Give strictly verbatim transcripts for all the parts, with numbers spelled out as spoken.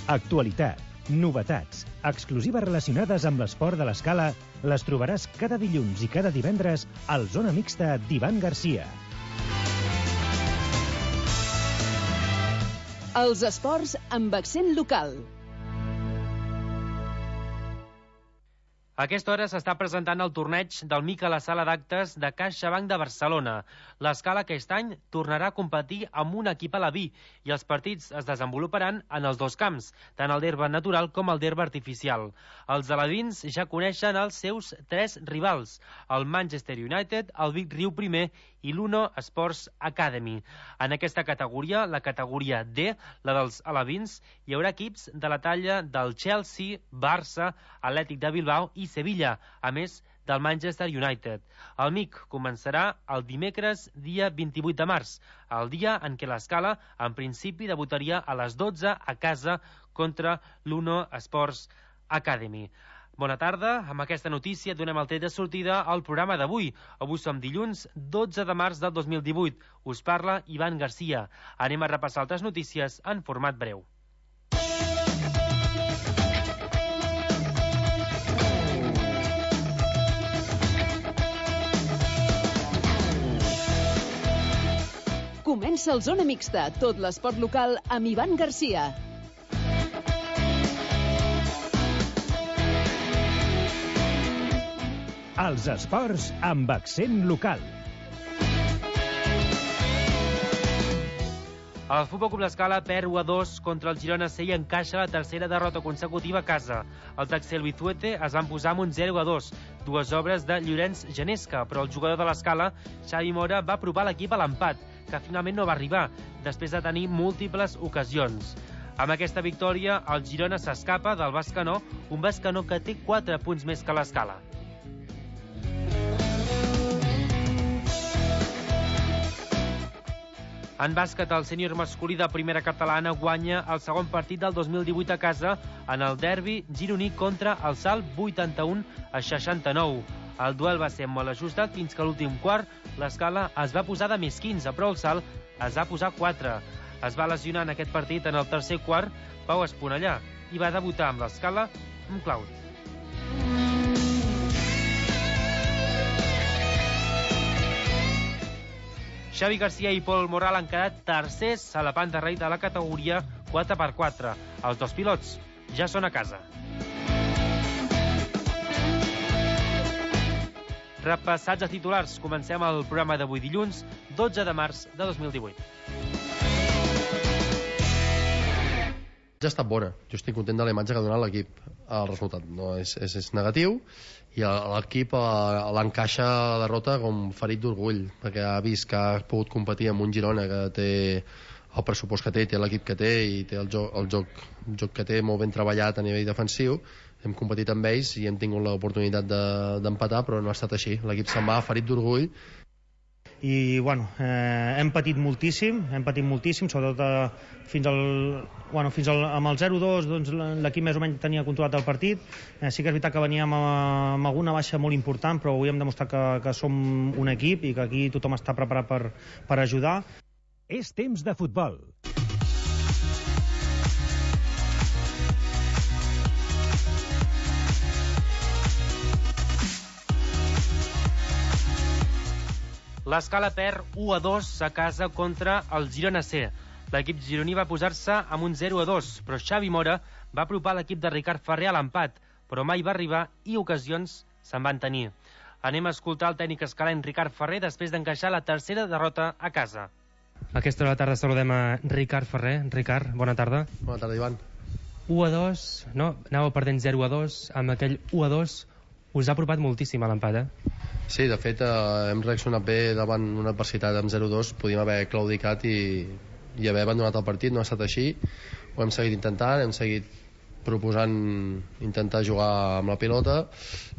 Actualitat, novetats, exclusives relacionades amb l'esport de l'escala les trobaràs cada dilluns i cada divendres al Zona Mixta d'Ivan Garcia. Els esports amb accent local. A aquesta hora s'està presentant el torneig del Mic a la sala d'actes de CaixaBank de Barcelona. L'escala aquest any tornarà a competir amb un equip alaví i els partits es desenvoluparan en els dos camps, tant el d'herba natural com el d'herba artificial. Els alevins ja coneixen els seus tres rivals, el Manchester United, el Vic Riu primer i l'Uno Sports Academy. En aquesta categoria, la categoria D, la dels alevins, hi haurà equips de la talla del Chelsea, Barça, Atlètic de Bilbao i Sevilla, a més del Manchester United. El M I C començarà el dimecres, dia vint-i-vuit de març, el dia en què l'escala, en principi, debutaria a les dotze a casa contra l'Uno Sports Academy. Bona tarda, amb aquesta notícia donem el tret de sortida al programa d'avui. Avui som dilluns dotze de març del dos mil divuit. Us parla Ivan Garcia. Anem a repassar altres notícies en format breu. Comença el Zona Mixta, tot l'esport local amb Ivan Garcia. Els esports amb accent local. El Futbol Club L'Escala perd u a dos contra el Girona C i encaixa la tercera derrota consecutiva a casa. El Taxel Bizuete es van posar amb un zero a dos, dues obres de Llorenç Genesca, però el jugador de l'Escala, Xavi Mora, va apropar l'equip a l'empat, que finalment no va arribar, després de tenir múltiples ocasions. Amb aquesta victòria, el Girona s'escapa del Bescanó, un Bescanó que té quatre punts més que l'Escala. En bàsquet, el sènior masculí de primera catalana guanya el segon partit del dos mil divuit a casa en el derbi gironí contra el Salt vuitanta-un a seixanta-nou. El duel va ser molt ajustat fins que a l'últim quart l'Escala es va posar de més quinze, però el Salt es va posar quatre. Es va lesionar en aquest partit en el tercer quart Pau Esponellà i va debutar amb l'Escala amb Claudi. Xavi Garcia i Pol Morral han quedat tercers a la panta rei de la categoria quatre per quatre. Els dos pilots ja són a casa. Repassats a titulars, comencem el programa d'avui dilluns, dotze de març de dos mil divuit. Ja ha estat bona. Jo estic content de la imatge que ha donat l'equip. El resultat no és, és, és negatiu i l'equip l'encaixa la derrota com ferit d'orgull, perquè ha vist que ha pogut competir amb un Girona que té el pressupost que té, té l'equip que té i té el joc, el joc, el joc que té molt ben treballat a nivell defensiu. Hem competit amb ells i hem tingut l'oportunitat de, d'empatar, però no ha estat així. L'equip se'n va ferit d'orgull i bueno, eh, hem patit moltíssim hem patit moltíssim, sobretot eh, fins al, bueno, fins al, amb el zero dos doncs, l'equip més o menys tenia controlat el partit. Eh, sí que és veritat que veníem amb, amb alguna baixa molt important, però avui hem demostrat que, que som un equip i que aquí tothom està preparat per, per ajudar. És temps de futbol. L'Escala perd u a dos a casa contra el Girona C. L'equip gironí va posar-se amb un zero a dos, però Xavi Mora va apropar l'equip de Ricard Ferrer a l'empat, però mai va arribar i ocasions se'n van tenir. Anem a escoltar el tècnic escalenc Ricard Ferrer després d'encaixar la tercera derrota a casa. A aquesta hora de la tarda saludem a Ricard Ferrer. Ricard, bona tarda. Bona tarda, Ivan. u a dos, no? Anàveu perdent zero a dos, amb aquell u a dos us ha apropat moltíssim a l'empat, eh? Sí, de fet, eh, hem reaccionat bé davant una adversitat amb zero a dos, podíem haver claudicat i, i haver abandonat el partit, no ha estat així, ho hem seguit intentant, hem seguit proposant intentar jugar amb la pilota,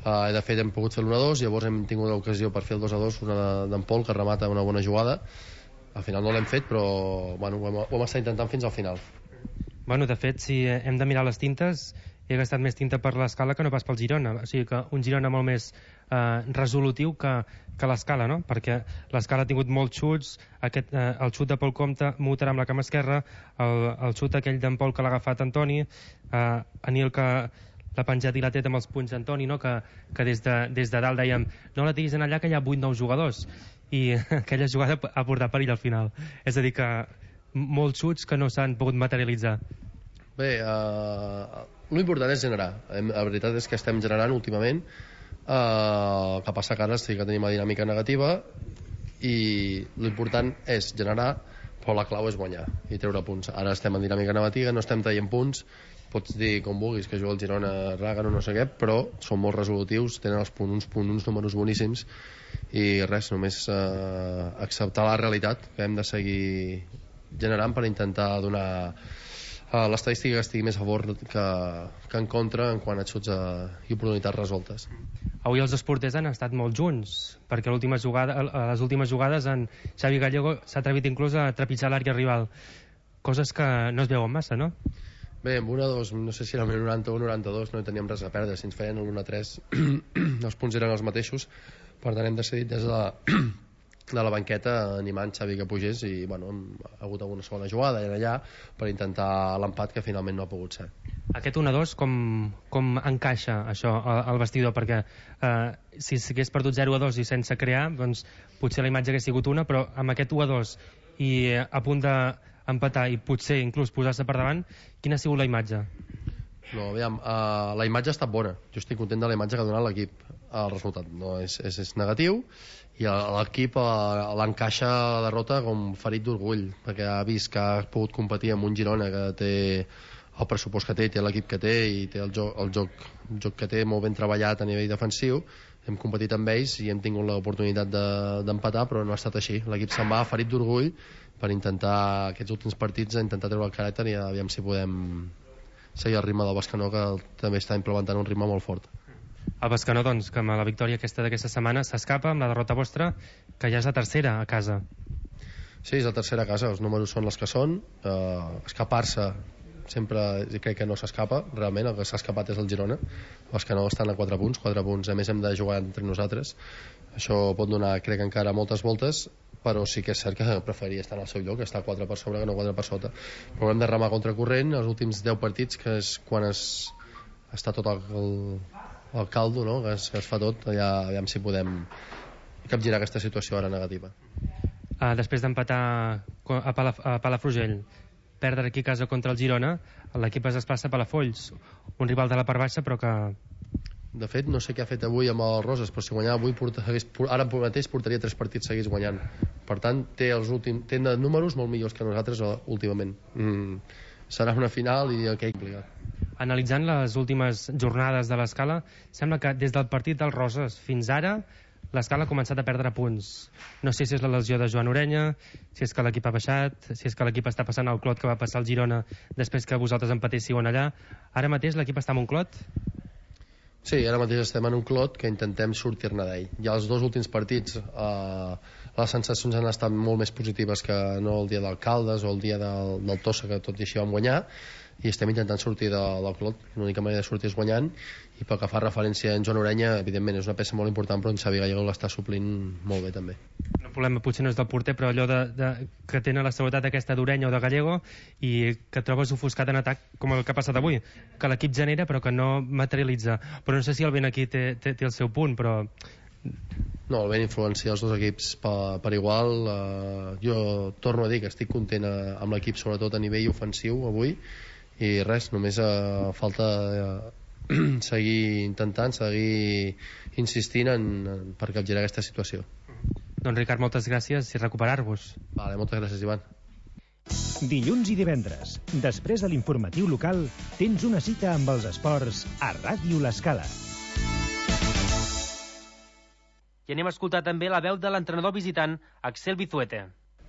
eh, de fet hem pogut fer l'u a dos, llavors hem tingut l'ocasió per fer el dos a dos, una d'en Pol que remata una bona jugada, al final no l'hem fet, però bueno, ho hem, ho hem estat intentant fins al final. Bueno, de fet, si hem de mirar les tintes, he gastat més tinta per l'Escala que no pas pel Girona, o sigui que un Girona molt més eh, resolutiu que, que l'Escala, no? Perquè l'Escala ha tingut molts xuts, aquest, eh, el xut de Pol Comte, Muter amb la cama esquerra, el, el xut aquell d'en Pol que l'ha agafat Antoni, eh, Anil que l'ha penjat i l'ha tret amb els punys d'Antoni, no? que, que des, de, des de dalt dèiem no la tiris en allà que hi ha vuit nou jugadors, i aquella jugada ha portat perill al final, és a dir que molts xuts que no s'han pogut materialitzar. Bé, eh, l'important és generar. La veritat és que estem generant últimament. Eh, el que passa que ara sí que tenim una dinàmica negativa i l'important és generar, però la clau és guanyar i treure punts. Ara estem en dinàmica negativa, no estem traient punts, pots dir com vulguis que juga el Girona, Ràgano, no sé què, però són molt resolutius, tenen els punts, uns, punts, uns números boníssims i res, només eh, acceptar la realitat que hem de seguir generant per intentar donar uh, l'estadística que estigui més a favor que, que en contra en quant a xuts uh, i oportunitats resoltes. Avui els dos porters han estat molt junts, perquè l'última jugada, a les últimes jugades en Xavi Gallego s'ha atrevit inclús a trepitjar l'àrea rival, coses que no es veuen massa, no? Bé, amb un a dos, no sé si era el noranta u noranta-dos, no hi teníem res a perdre, si ens feien l'un a tres els punts eren els mateixos, per tant hem decidit des de la, de la banqueta animant Xavi que pugés i bueno, hem hagut alguna segona jugada allà per intentar l'empat que finalment no ha pogut ser. Aquest un a dos com, com encaixa això al vestidor? Perquè eh, si s'hagués perdut zero a dos i sense crear, doncs potser la imatge hagués sigut una, però amb aquest u a dos i a punt d'empatar i potser inclús posar-se per davant, quina ha sigut la imatge? No, aviam, uh, la imatge ha estat bona. Jo estic content de la imatge que ha donat l'equip. El resultat no és, és, és negatiu i l'equip uh, l'encaixa la derrota com ferit d'orgull, perquè ha vist que ha pogut competir amb un Girona que té el pressupost que té, té l'equip que té i té el joc, el joc, el joc que té molt ben treballat a nivell defensiu. Hem competit amb ells i hem tingut l'oportunitat d'empatar, de, però no ha estat així. L'equip se'n va ferit d'orgull per intentar aquests últims partits intentar treure el caràcter i aviam si podem seguir el ritme del Bescanó, que també està implementant un ritme molt fort. El Bescanó, doncs, que amb la victòria aquesta d'aquesta setmana s'escapa amb la derrota vostra, que ja és la tercera a casa. Sí, és la tercera a casa, els números són els que són. Uh, escapar-se sempre crec que no s'escapa, realment el que s'ha escapat és el Girona. El Bescanó estan a quatre punts, quatre punts, a més hem de jugar entre nosaltres. Això pot donar, crec, encara moltes voltes, però sí que és cert que preferiria estar en el seu lloc, estar quatre per sobre que no quatre per sota, però hem de remar contra corrent els últims deu partits, que és quan es, està tot el, el, el caldo, no? que, es, que es fa tot, allà aviam si podem capgirar aquesta situació ara negativa. Uh, després d'empatar a, Palaf a Palafrugell, perdre aquí a casa contra el Girona, l'equip es desplaça a Palafolls, un rival de la part baixa, però que de fet no sé què ha fet avui amb el Roses, però si guanyava avui porta, hagués, ara mateix portaria tres partits seguits guanyant, per tant té els últims, té números molt millors que nosaltres últimament. mm, serà una final i el que implica. Analitzant les últimes jornades de l'Escala, sembla que des del partit del Roses fins ara l'Escala ha començat a perdre punts. No sé si és la lesió de Joan Orenya, si és que l'equip ha baixat, si és que l'equip està passant el clot que va passar al Girona després que vosaltres empatéssiu allà. Ara mateix l'equip està en un clot? Sí, ara mateix estem en un clot que intentem sortir-ne d'ell. Ja els dos últims partits eh, les sensacions han estat molt més positives que no el dia d'Alcaldes o el dia del, del Tossa, que tot i així vam guanyar, i estem intentant sortir de, del clot. L'única manera de sortir és guanyant, i pel que fa referència a en Joan Orenya, evidentment és una peça molt important, però en Xavi Gallego l'està suplint molt bé també. El problema potser no és del porter, però allò de, de, que tenen la seguretat aquesta d'Orenya o de Gallego i que trobes ofuscat en atac, com el que ha passat avui, que l'equip genera però que no materialitza. Però no sé si el vent aquí té, té, té el seu punt, però no, el vent influencia els dos equips per, per igual. Uh, jo torno a dir que estic content a, amb l'equip, sobretot a nivell ofensiu avui, i res, només uh, falta uh, seguir intentant, seguir insistint en, en, per capgirar aquesta situació. Doncs Ricard, moltes gràcies i recuperar-vos. Vale, moltes gràcies, Ivan. Dilluns i divendres, després de l'informatiu local, tens una cita amb els esports a Ràdio L'Escala. I anem a escoltar també la veu de l'entrenador visitant, Axel Vizuete.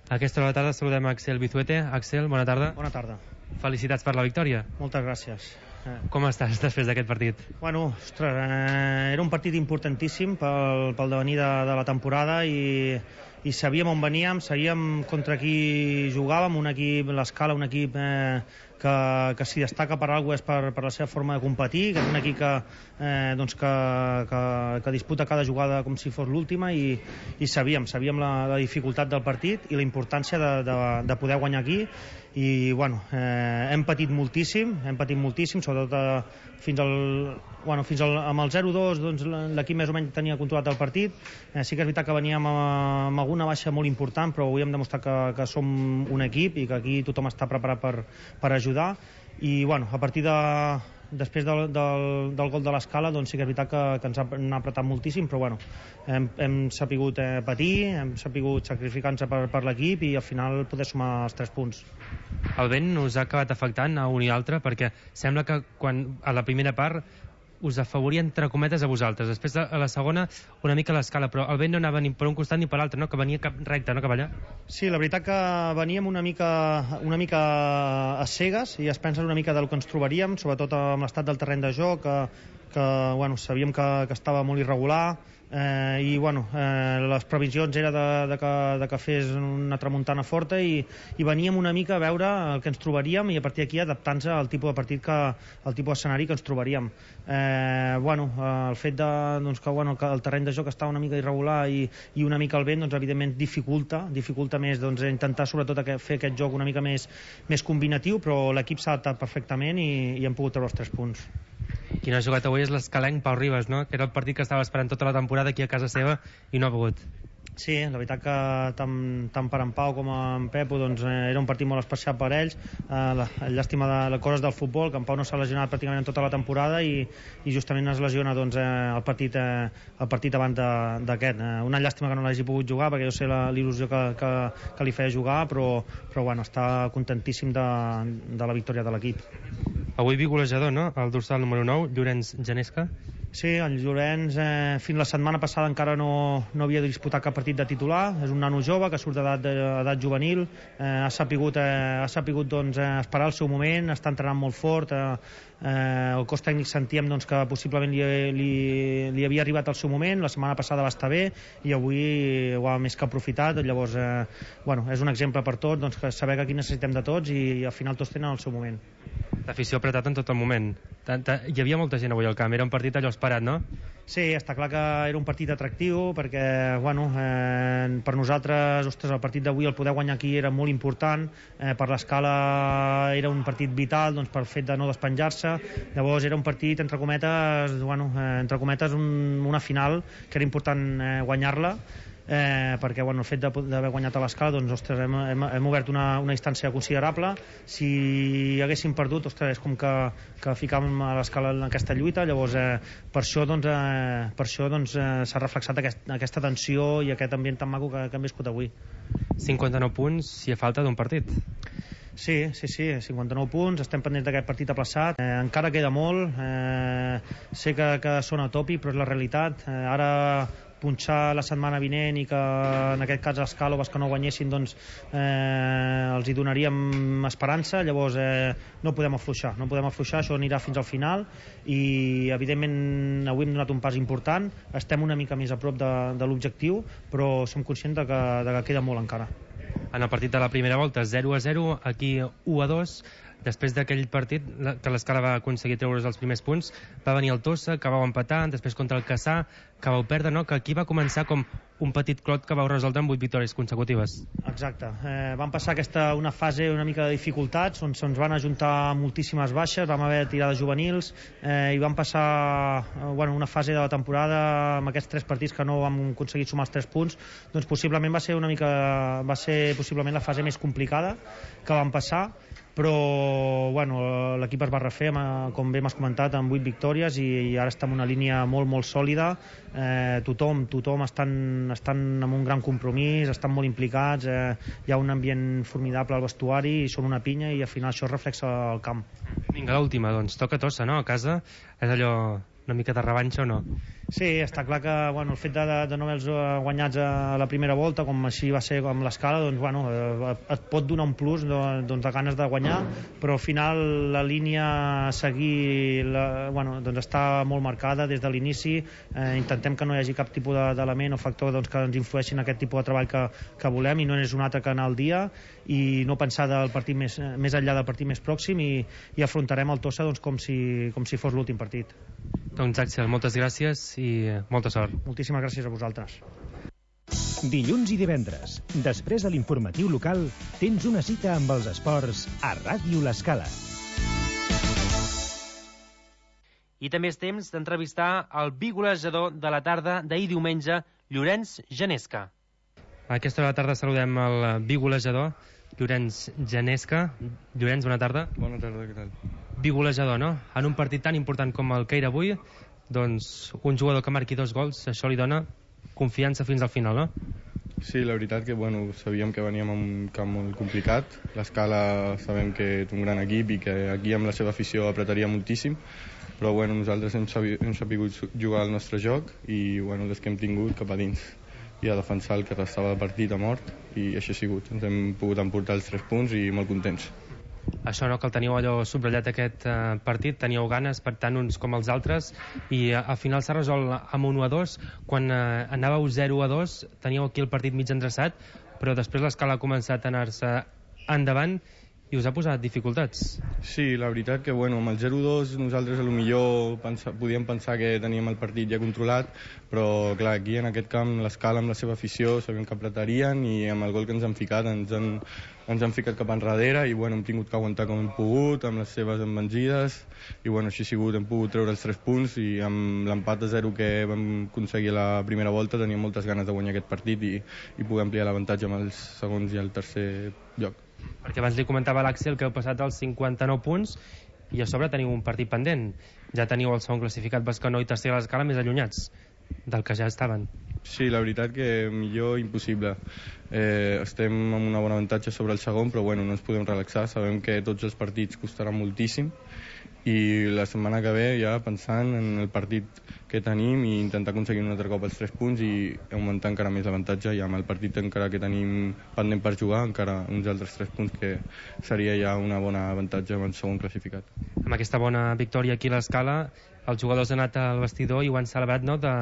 A aquesta hora de tarda saludem a Axel Vizuete. Axel, bona tarda. Bona tarda. Felicitats per la victòria. Moltes gràcies. Eh. Com estàs després d'aquest partit? Bueno, ostres, eh, era un partit importantíssim pel, pel devenir de, de la temporada i, i sabíem on veníem, sabíem contra qui jugàvem, un equip, l'Escala, un equip eh, que, que si destaca per alguna cosa és per, per la seva forma de competir, que és un equip que, eh, doncs que, que, que disputa cada jugada com si fos l'última, i, i sabíem, sabíem la, la dificultat del partit i la importància de, de, de poder guanyar aquí. I bueno, eh, hem patit moltíssim, hem patit moltíssim, sobretot eh, fins al, bueno, fins al, amb el zero dos doncs, l'equip més o menys tenia controlat el partit. Eh, sí que és veritat que veníem amb, amb alguna baixa molt important, però avui hem demostrat que, que som un equip i que aquí tothom està preparat per, per ajudar. I bueno, a partir de després del, del, del gol de l'Escala, doncs sí que és veritat que, que ens ha, ha apretat moltíssim, però bueno, hem, hem sapigut eh, patir, hem sapigut sacrificar-nos per, per l'equip i al final poder sumar els tres punts. El vent us ha acabat afectant a un i altre, perquè sembla que quan a la primera part us afavoria entre cometes a vosaltres, després a la segona una mica a l'Escala, però el vent no anava ni per un costat ni per l'altre, no? Que venia cap recte, no? Cap allà. Sí, la veritat que veníem una mica, una mica a cegues i es pensa una mica del que ens trobaríem, sobretot amb l'estat del terreny de joc, que, que bueno, sabíem que, que estava molt irregular, eh, i bueno, eh, les previsions era de, de, que, de que fes una tramuntana forta i, i veníem una mica a veure el que ens trobaríem i a partir d'aquí adaptant-nos al tipus de partit que, al tipus d'escenari que ens trobaríem. Eh, bueno, el fet de, doncs, que, bueno, que el terreny de joc està una mica irregular i, i una mica el vent, doncs evidentment dificulta dificulta més, doncs intentar sobretot fer aquest joc una mica més, més combinatiu, però l'equip s'ha adaptat perfectament i, i hem pogut treure els tres punts. Qui no ha jugat avui és l'escalenc Pau Ribas, no? Que era el partit que estava esperant tota la temporada aquí a casa seva i no ha pogut. Sí, la veritat que tant, tant per en Pau com en Pepo doncs, eh, era un partit molt especial per ells. Eh, la, llàstima de les coses del futbol, que en Pau no s'ha lesionat pràcticament en tota la temporada i, i justament es lesiona doncs, eh, el, partit, eh, el partit abans d'aquest. Eh, una llàstima que no l'hagi pogut jugar, perquè jo sé l'il·lusió que, que, que li feia jugar, però, però bueno, està contentíssim de, de la victòria de l'equip. Avui bigolejador, no? El dorsal número nou, Llorenç Genesca. Sí, el Llorenç eh, fins la setmana passada encara no, no havia disputat cap partit de titular. És un nano jove que surt d'edat juvenil, eh, ha sapigut, eh, ha sapigut doncs, eh, esperar el seu moment, està entrenant molt fort. Eh, eh, el cos tècnic sentíem doncs, que possiblement li, li, li havia arribat el seu moment, la setmana passada va estar bé i avui ho ha més que aprofitat. Llavors, eh, bueno, és un exemple per tots, doncs, que saber que aquí necessitem de tots i al final tots tenen el seu moment. L'afició ha apretat en tot el moment. Tanta... Hi havia molta gent avui al camp, era un partit allò esperat, no? Sí, està clar que era un partit atractiu perquè, bueno, eh, per nosaltres, ostres, el partit d'avui, el poder guanyar aquí era molt important, eh, per l'Escala era un partit vital, doncs, pel fet de no despenjar-se. Llavors era un partit, entre cometes, bueno, eh, entre cometes un, una final que era important eh, guanyar-la, eh, perquè bueno, el fet d'haver guanyat a l'Escala, doncs, ostres, hem, hem, hem obert una, una distància considerable. Si haguéssim perdut, ostres, és com que, que ficàvem a l'Escala en aquesta lluita. Llavors, eh, per això doncs, eh, per això doncs, eh, s'ha reflexat aquest, aquesta tensió i aquest ambient tan maco que, que hem viscut avui. cinquanta-nou punts, si a falta d'un partit. Sí, sí, sí, cinquanta-nou punts, estem pendents d'aquest partit aplaçat, eh, encara queda molt, eh, sé que, que sona tòpic, però és la realitat. Eh, ara punxar la setmana vinent i que en aquest cas els Càloves que no guanyessin doncs eh, els hi donaríem esperança. Llavors eh, no podem afluixar, no podem afluixar, això anirà fins al final i evidentment avui hem donat un pas important, estem una mica més a prop de, de l'objectiu, però som conscients de que, de que queda molt encara. En el partit de la primera volta zero a zero, aquí u a dos. Després d'aquell partit que l'Escala va aconseguir treure's els primers punts, va venir el Tossa, que vau empatar, després contra el Cassà, que vau perdre, no? Que aquí va començar com un petit clot que vau resoldre amb vuit victòries consecutives. Exacte. Eh, vam passar aquesta, una fase una mica de dificultats, on se'ns van ajuntar moltíssimes baixes, vam haver tirades juvenils, eh, i vam passar eh, bueno, una fase de la temporada amb aquests tres partits que no vam aconseguir sumar els tres punts, doncs possiblement va ser una mica, va ser possiblement la fase més complicada que vam passar, però bueno, l'equip es va refer, com bé m'has comentat, amb vuit victòries i, i ara està en una línia molt molt sòlida. eh, tothom, tothom estan, estan amb un gran compromís, estan molt implicats, eh, hi ha un ambient formidable al vestuari i són una pinya i al final això es reflexa al camp. Vinga, l'última, doncs toca Tossa, no? A casa és allò una mica de revanxa o no? Sí, està clar que bueno, el fet de, de no haver-los guanyats a la primera volta, com així va ser amb l'Escala, doncs, bueno, eh, et pot donar un plus doncs, de ganes de guanyar, però al final la línia a seguir la, bueno, doncs està molt marcada des de l'inici. Eh, intentem que no hi hagi cap tipus d'element o factor doncs, que ens influeixi en aquest tipus de treball que, que volem, i no és un altre que anar al dia i no pensar del partit més, més enllà del partit més pròxim, i, i afrontarem el Tossa doncs, com, si, com si fos l'últim partit. Doncs Axel, moltes gràcies i molta sort. Moltíssimes gràcies a vosaltres. Dilluns i divendres, després de l'informatiu local, tens una cita amb els esports a Ràdio L'Escala. I també és temps d'entrevistar el bigolejador de la tarda d'ahir diumenge, Llorenç Genesca. A aquesta hora de la tarda saludem el bigolejador, Llorenç Genesca. Llorenç, bona tarda. Bona tarda, què tal? Bigolejador, no? En un partit tan important com el que era avui, doncs un jugador que marqui dos gols, això li dona confiança fins al final, no? Sí, la veritat que bueno, sabíem que veníem a un camp molt complicat. L'Escala sabem que és un gran equip i que aquí amb la seva afició apretaria moltíssim, però bueno, nosaltres hem, sabi, hem sabut jugar el nostre joc i bueno, des que hem tingut cap a dins i a defensar el que restava de partit a mort, i així ha sigut. Ens hem pogut emportar els tres punts i molt contents. Això, no?, que el teníeu allò subratllat aquest eh, partit, teníeu ganes per tant uns com els altres, i eh, al final s'ha resolt amb un u a dos. Quan eh, anàveu zero a dos teníeu aquí el partit mig endreçat, però després l'Escala ha començat a anar-se endavant i us ha posat dificultats. Sí, la veritat que bueno, amb el zero a dos nosaltres a lo millor pensa, podíem pensar que teníem el partit ja controlat, però clar, aquí en aquest camp l'Escala amb la seva afició sabem que apretarien, i amb el gol que ens han ficat ens han, ens han ficat cap enrere, i bueno, hem tingut que aguantar com hem pogut amb les seves envengides, i bueno, així ha sigut, hem pogut treure els tres punts, i amb l'empat a zero que vam aconseguir a la primera volta teníem moltes ganes de guanyar aquest partit i, i poder ampliar l'avantatge amb els segons i el tercer lloc. Perquè abans li comentava a l'Àxel que heu passat als cinquanta-nou punts i a sobre teniu un partit pendent. Ja teniu el segon classificat Bescanó i tercer a l'Escala més allunyats del que ja estaven. Sí, la veritat que millor impossible. Eh, estem amb un bon avantatge sobre el segon, però bueno, no ens podem relaxar. Sabem que tots els partits costaran moltíssim, i la setmana que ve ja pensant en el partit que tenim i intentar aconseguir un altre cop els tres punts i augmentar encara més l'avantatge, i amb el partit encara que tenim pendent per jugar encara uns altres tres punts, que seria ja una bona avantatge amb el segon classificat. Amb aquesta bona victòria aquí a l'Escala, els jugadors han anat al vestidor i ho han celebrat, no?, de,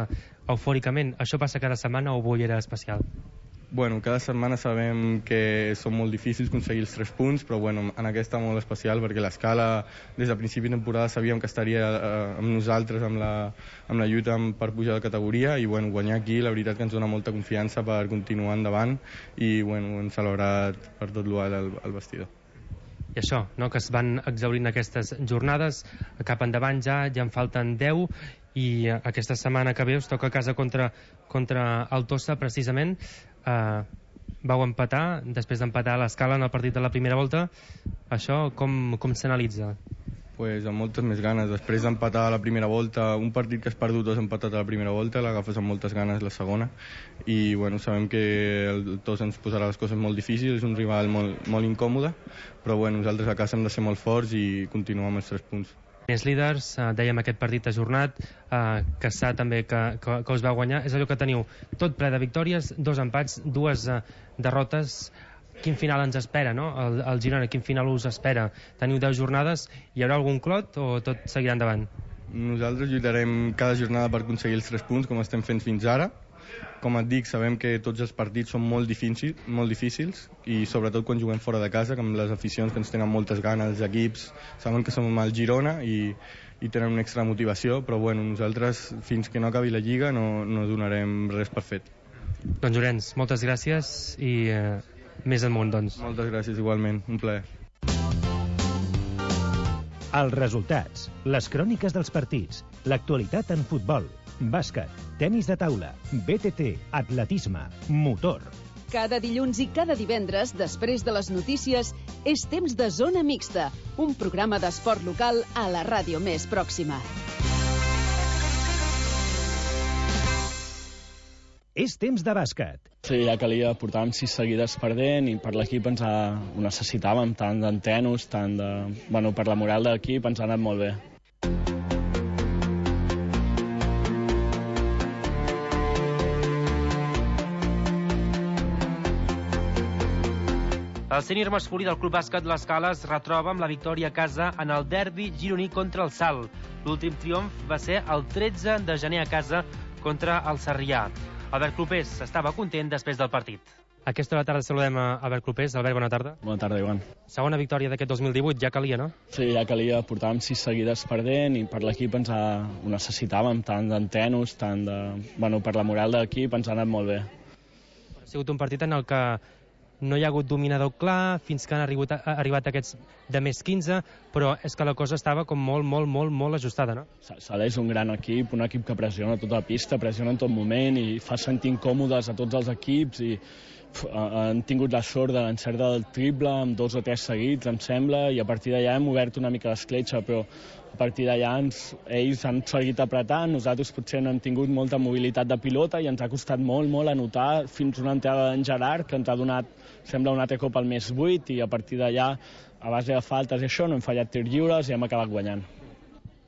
eufòricament. Això passa cada setmana o avui era especial? Bueno, cada setmana sabem que són molt difícils aconseguir els tres punts, però bueno, en aquesta molt especial, perquè l'Escala des de principi de temporada sabíem que estaria eh, amb nosaltres amb la, amb la lluita per pujar de categoria, i bueno, guanyar aquí la veritat que ens dona molta confiança per continuar endavant, i bueno, hem celebrat per tot l'alt al, al vestidor. I això, no?, que es van exhaurint aquestes jornades, cap endavant ja, ja en falten deu, i aquesta setmana que ve us toca a casa contra, contra el Tossa, precisament. Uh, vau empatar, després d'empatar a l'Escala en el partit de la primera volta. Això com, com s'analitza? Pues amb moltes més ganes. Després d'empatar a la primera volta, un partit que has perdut o has empatat a la primera volta, l'agafes amb moltes ganes la segona, i bueno, sabem que el Tossa ens posarà les coses molt difícils, és un rival molt, molt incòmode, però bueno, nosaltres a casa hem de ser molt forts i continuar amb els tres punts. Més líders, eh, dèiem aquest partit ajornat, eh, Cassà també que, que, que us va guanyar. És allò que teniu tot ple de victòries, dos empats, dues eh, derrotes. Quin final ens espera, no? El, el Girona, quin final us espera? Teniu deu jornades, hi haurà algun clot o tot seguirà endavant? Nosaltres lluitarem cada jornada per aconseguir els tres punts, com estem fent fins ara. Com et dic, sabem que tots els partits són molt difícils, molt difícils, i sobretot quan juguem fora de casa, que amb les aficions que ens tenen moltes ganes, els equips saben que som al Girona i, i tenen una extra motivació, però bueno, nosaltres fins que no acabi la Lliga no, no donarem res per fet. Doncs Llorenç, moltes gràcies i eh, més amunt, doncs. Moltes gràcies, igualment, un plaer. Els resultats, les cròniques dels partits, l'actualitat en futbol, bàsquet, tenis de taula, B T T, atletisme, motor. Cada dilluns i cada divendres, després de les notícies, és temps de Zona Mixta, un programa d'esport local a la ràdio més pròxima. És temps de bàsquet. Sí, ja calia, portàvem sis seguides perdent i per l'equip ens ha... ho necessitàvem, tant d'entenos, tant de... Bueno, per la moral de l'equip ens ha anat molt bé. El sènior masculí del Club Bàsquet L'Escala es retroba amb la victòria a casa en el derbi gironí contra el Salt. L'últim triomf va ser el tretze de gener a casa contra el Sarrià. Albert Clopés estava content després del partit. A aquesta hora de tarda saludem a Albert Clopés. Albert, bona tarda. Bona tarda, Ivan. Segona victòria d'aquest dos mil divuit, ja calia, no? Sí, ja calia. Portàvem sis seguides perdent i per l'equip ens ha... ho necessitàvem, tant d'entenos, tant de... Bueno, per la moral de l'equip ens ha anat molt bé. Ha sigut un partit en el que no hi ha hagut dominador clar fins que han arribat, ha arribat aquests de més quinze, però és que la cosa estava com molt, molt, molt, molt ajustada, no? Sala és un gran equip, un equip que pressiona tota la pista, pressiona en tot moment i fa sentir incòmodes a tots els equips i uf, han tingut la sort de l'encert del triple amb dos o tres seguits, em sembla, i a partir d'allà hem obert una mica l'escletxa, però a partir d'allà ens, ells han seguit apretant, nosaltres potser no hem tingut molta mobilitat de pilota i ens ha costat molt, molt anotar fins una entrada d'en Gerard que ens ha donat, sembla, un altre cop al més vuit i a partir d'allà, a base de faltes i això, no hem fallat tirs lliures i hem acabat guanyant.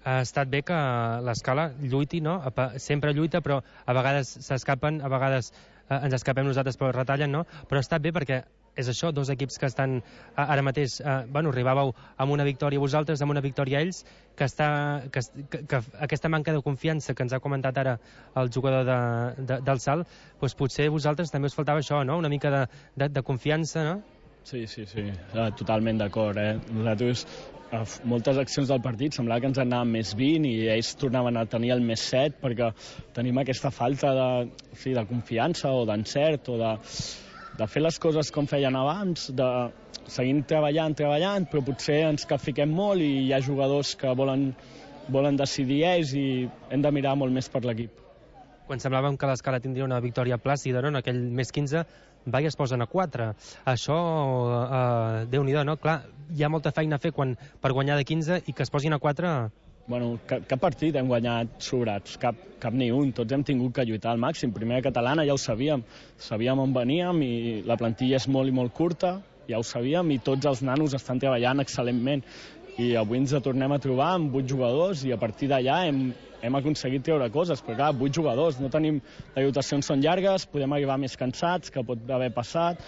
Ha estat bé que l'Escala lluiti, no? Sempre lluita, però a vegades s'escapen, a vegades eh, ens escapem nosaltres però retallen, no? Però ha estat bé perquè és això, dos equips que estan ara mateix, eh, bueno, arribàveu amb una victòria vosaltres, amb una victòria ells, que, està, que, que, que aquesta manca de confiança que ens ha comentat ara el jugador de, de, del Salt, doncs potser vosaltres també us faltava això, no? Una mica de, de, de confiança, no? Sí, sí, sí, totalment d'acord, eh? Nosaltres, a moltes accions del partit semblava que ens anàvem més vint i ells tornaven a tenir el més set perquè tenim aquesta falta de, sí, de confiança o d'encert o de, de fer les coses com feien abans, de seguir treballant, treballant, però potser ens capfiquem molt i hi ha jugadors que volen, volen decidir ells i hem de mirar molt més per l'equip. Quan semblàvem que l'Escala tindria una victòria plàcida, no? En aquell més quinze, va i es posen a quatre. Això, eh, Déu-n'hi-do, no? Clar, hi ha molta feina a fer quan, per guanyar de quinze i que es posin a quatre... Bueno, cap, cap partit hem guanyat sobrats, cap, cap ni un. Tots hem tingut que lluitar al màxim. Primera catalana ja ho sabíem. Sabíem on veníem i la plantilla és molt i molt curta, ja ho sabíem, i tots els nanos estan treballant excel·lentment. I avui ens tornem a trobar amb vuit jugadors i a partir d'allà hem, hem aconseguit treure coses, però clar, vuit jugadors, no tenim... Les rotacions són llargues, podem arribar més cansats, que pot haver passat,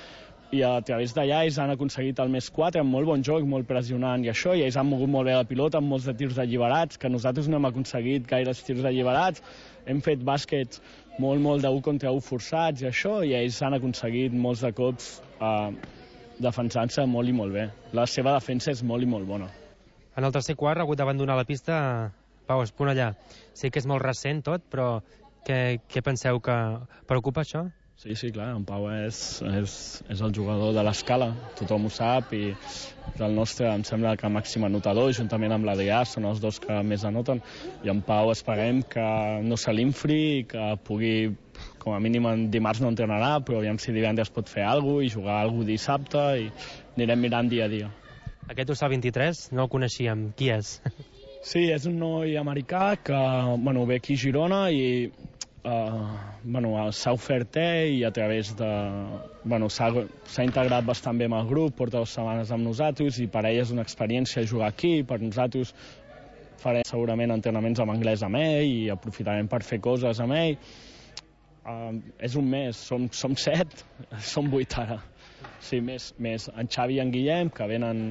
i a través d'allà ells han aconseguit el més quatre amb molt bon joc, molt pressionant i això, i ells han mogut molt bé la pilota amb molts de tirs alliberats, que nosaltres no hem aconseguit gaires tirs alliberats, hem fet bàsquets molt, molt d'un contra un forçats i això, i ells han aconseguit molts de cops eh, defensant-se molt i molt bé. La seva defensa és molt i molt bona. En el tercer quart ha hagut d'abandonar la pista Pau Esponellà. Sé que és molt recent tot, però què, què penseu que preocupa això? Sí, sí, clar, en Pau és, és, és el jugador de l'Escala, tothom ho sap, i el nostre, em sembla que màxim anotador, juntament amb l'Adrià, són els dos que més anoten, i en Pau esperem que no se l'infri i que pugui, com a mínim en dimarts no entrenarà, però aviam si divendres pot fer alguna cosa i jugar alguna cosa dissabte, i anirem mirant dia a dia. Aquest Ussal vint-i-tres no el coneixíem. Qui és? Sí, és un noi americà que bueno, ve aquí a Girona i uh, bueno, s'ha ofert ell i a través de... Bueno, s'ha integrat bastant bé amb el grup, porta dues setmanes amb nosaltres i per ell és una experiència jugar aquí. Per nosaltres farem segurament entrenaments en anglès amb ell i aprofitarem per fer coses amb ell. Uh, és un mes, som, som set, som vuit ara. Sí, més, més en Xavi i en Guillem, que venen,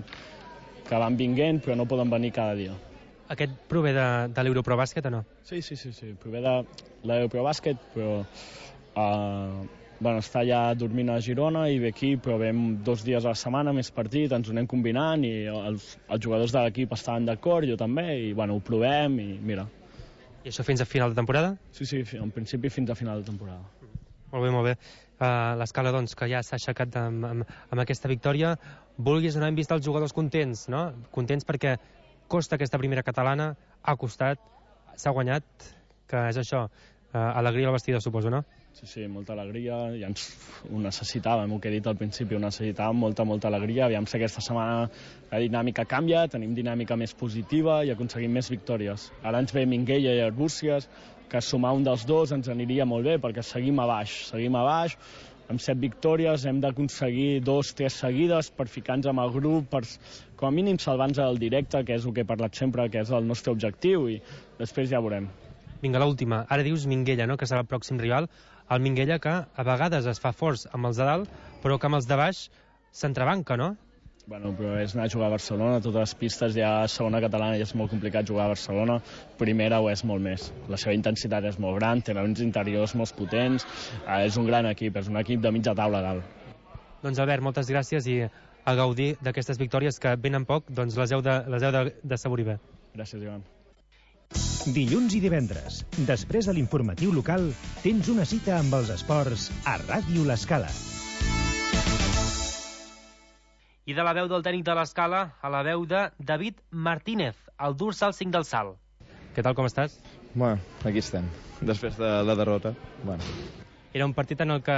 que van vinguent, però no poden venir cada dia. Aquest prové de, de l'Europrobàsquet o no? Sí, sí, sí, sí, prové de l'Europrobàsquet, però uh, bueno, està ja dormint a Girona i ve aquí, però vem dos dies a la setmana, més partit, ens ho anem combinant i els, els jugadors de l'equip estaven d'acord, jo també, i bueno, ho provem i mira. I això fins a final de temporada? Sí, sí, en principi fins a final de temporada. Molt bé, molt bé. Uh, L'Escala, doncs, que ja s'ha aixecat amb, amb, amb aquesta victòria. Vulguis o no, hem vist els jugadors contents, no? Contents perquè costa aquesta primera catalana, ha costat, s'ha guanyat, que és això, uh, alegria al vestidor, suposo, no? Sí, sí, molta alegria, ja ens ho necessitàvem, el que he dit al principi, ho necessitàvem, molta, molta alegria. Aviam si aquesta setmana la dinàmica canvia, tenim dinàmica més positiva i aconseguim més victòries. Ara ens ve Minguella i Arbúcies, que sumar un dels dos ens aniria molt bé, perquè seguim a baix, seguim a baix, amb set victòries hem d'aconseguir dos, tres seguides per ficar-nos amb el grup, per com a mínim salvar-nos del directe, que és el que he parlat sempre, que és el nostre objectiu, i després ja veurem. Vinga, l'última. Ara dius Minguella, no?, que serà el pròxim rival. El Minguella que a vegades es fa forts amb els de dalt, però que amb els de baix s'entrebanca, no? Bueno, però és anar a jugar a Barcelona, totes les pistes ja a segona catalana ja és molt complicat jugar a Barcelona, primera ho és molt més. La seva intensitat és molt gran, tenen uns interiors molt potents, eh, és un gran equip, és un equip de mitja taula a dalt. Doncs Albert, moltes gràcies i a gaudir d'aquestes victòries que venen poc, doncs les heu de, les heu de, de saborir bé. Gràcies, Ivan. Dilluns i divendres, després de l'informatiu local, tens una cita amb els esports a Ràdio L'Escala. I de la veu del tècnic de l'Escala a la veu de David Martínez, el dorsal cinc del Salt. Què tal, com estàs? Bueno, aquí estem, després de la derrota. Bueno. Era un partit en el que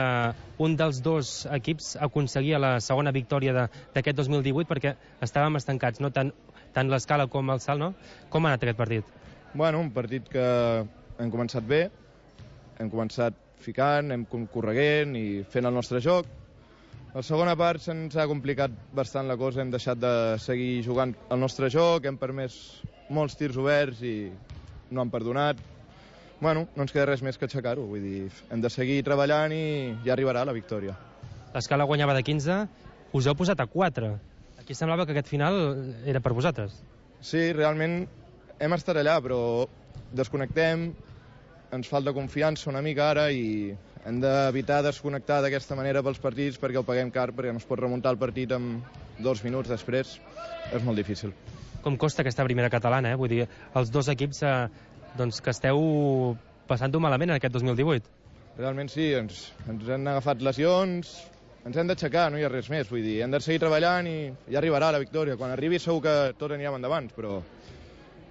un dels dos equips aconseguia la segona victòria d'aquest dos mil divuit perquè estàvem estancats, no? Tant, tant l'Escala com el Salt, no? Com ha anat aquest partit? Bueno, un partit que hem començat bé, hem començat ficant, hem correguent i fent el nostre joc. La segona part se'ns ha complicat bastant la cosa, hem deixat de seguir jugant el nostre joc, hem permès molts tirs oberts i no han perdonat. Bueno, no ens queda res més que aixecar-ho, vull dir, hem de seguir treballant i ja arribarà la victòria. L'Escala guanyava de quinze, us heu posat a quatre. Aquí semblava que aquest final era per vosaltres. Sí, realment hem estat allà, però desconnectem, ens falta confiança una mica ara i hem d'evitar desconnectar d'aquesta manera pels partits perquè ho paguem car, perquè no es pot remuntar el partit en dos minuts després. És molt difícil. Com costa aquesta primera catalana, eh? Vull dir, els dos equips eh, doncs, que esteu passant-ho malament en aquest dos mil divuit. Realment sí, ens, ens han agafat lesions, ens hem d'aixecar, no hi ha res més. Vull dir, hem de seguir treballant i ja arribarà la victòria. Quan arribi segur que tot anirem endavant, però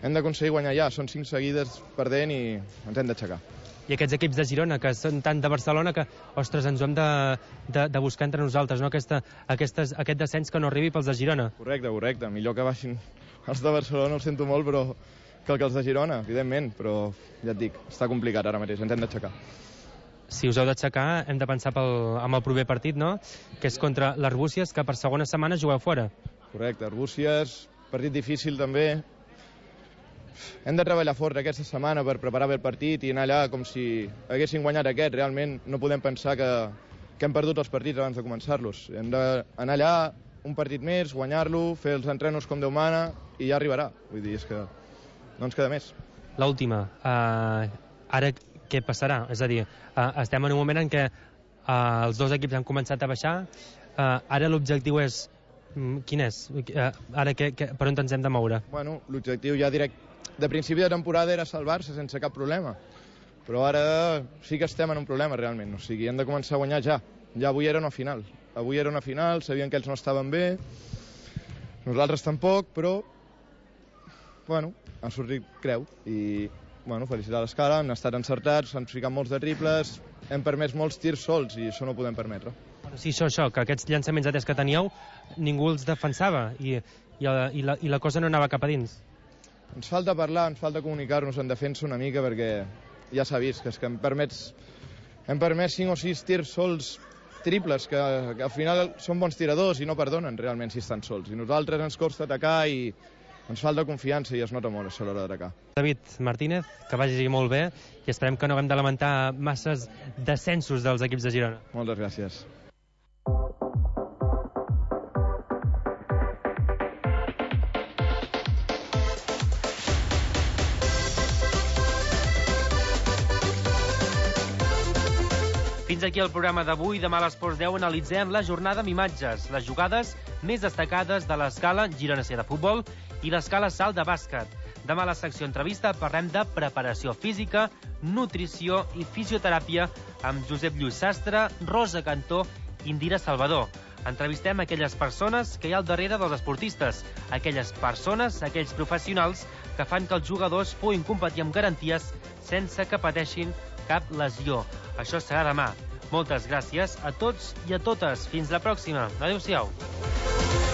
hem d'aconseguir guanyar ja. Són cinc seguides perdent i ens hem d'aixecar. I aquests equips de Girona, que són tant de Barcelona que, ostres, ens ho hem de, de, de buscar entre nosaltres, no? Aquesta, aquestes, aquest descens que no arribi pels de Girona. Correcte, correcte. Millor que baixin els de Barcelona, ho sento molt, però que els de Girona, evidentment. Però ja et dic, està complicat ara mateix, ens hem d'aixecar. Si us heu d'aixecar, hem de pensar pel, amb el proper partit, no? Que és contra l'Arbúcies, que per segona setmana jugueu fora. Correcte, Arbúcies, partit difícil també. Hem de treballar fort aquesta setmana per preparar bé el partit i anar allà com si haguessin guanyat aquest. Realment no podem pensar que, que hem perdut els partits abans de començar-los. Hem d'anar allà un partit més, guanyar-lo, fer els entrenos com Déu mana i ja arribarà. Vull dir, és que no ens queda més. L'última. Uh, ara què passarà? És a dir, uh, estem en un moment en què uh, els dos equips han començat a baixar. Uh, ara l'objectiu és... Um, quin és? Uh, ara que, que, per on ens hem de moure? Bueno, l'objectiu ja direct de principi de temporada era salvar-se sense cap problema, però ara sí que estem en un problema realment, o sigui, hem de començar a guanyar ja. Ja avui era una final, avui era una final, sabien que ells no estaven bé, nosaltres tampoc, però bueno, han sortit creu i bueno, felicitar l'Escala, han estat encertats, han ficat molts de triples, hem permès molts tirs sols i això no ho podem permetre. Bueno, sí, això, això, que aquests llançaments de tres que teníeu ningú els defensava i, i, i, la, i la cosa no anava cap a dins. Ens falta parlar, ens falta comunicar-nos en defensa una mica perquè ja s'ha vist que, és que hem permès hem permès cinc o sis tirs sols triples que, que al final són bons tiradors i no perdonen realment si estan sols i nosaltres ens costa atacar i ens falta confiança i es nota molt això a l'hora d'atacar. David Martínez, que vagi molt bé i esperem que no haguem de lamentar masses descensos dels equips de Girona. Moltes gràcies. Fins aquí el programa d'avui. Demà a l'Esports deu analitzem la jornada amb imatges, les jugades més destacades de l'Escala Girona C de futbol i l'Escala Salt de bàsquet. Demà a la secció entrevista parlem de preparació física, nutrició i fisioteràpia amb Josep Lluís Sastre, Rosa Cantó i Indira Salvador. Entrevistem aquelles persones que hi ha al darrere dels esportistes, aquelles persones, aquells professionals que fan que els jugadors puguin competir amb garanties sense que pateixin cap lesió. Això serà demà. Moltes gràcies a tots i a totes. Fins la pròxima. Adéu-siau.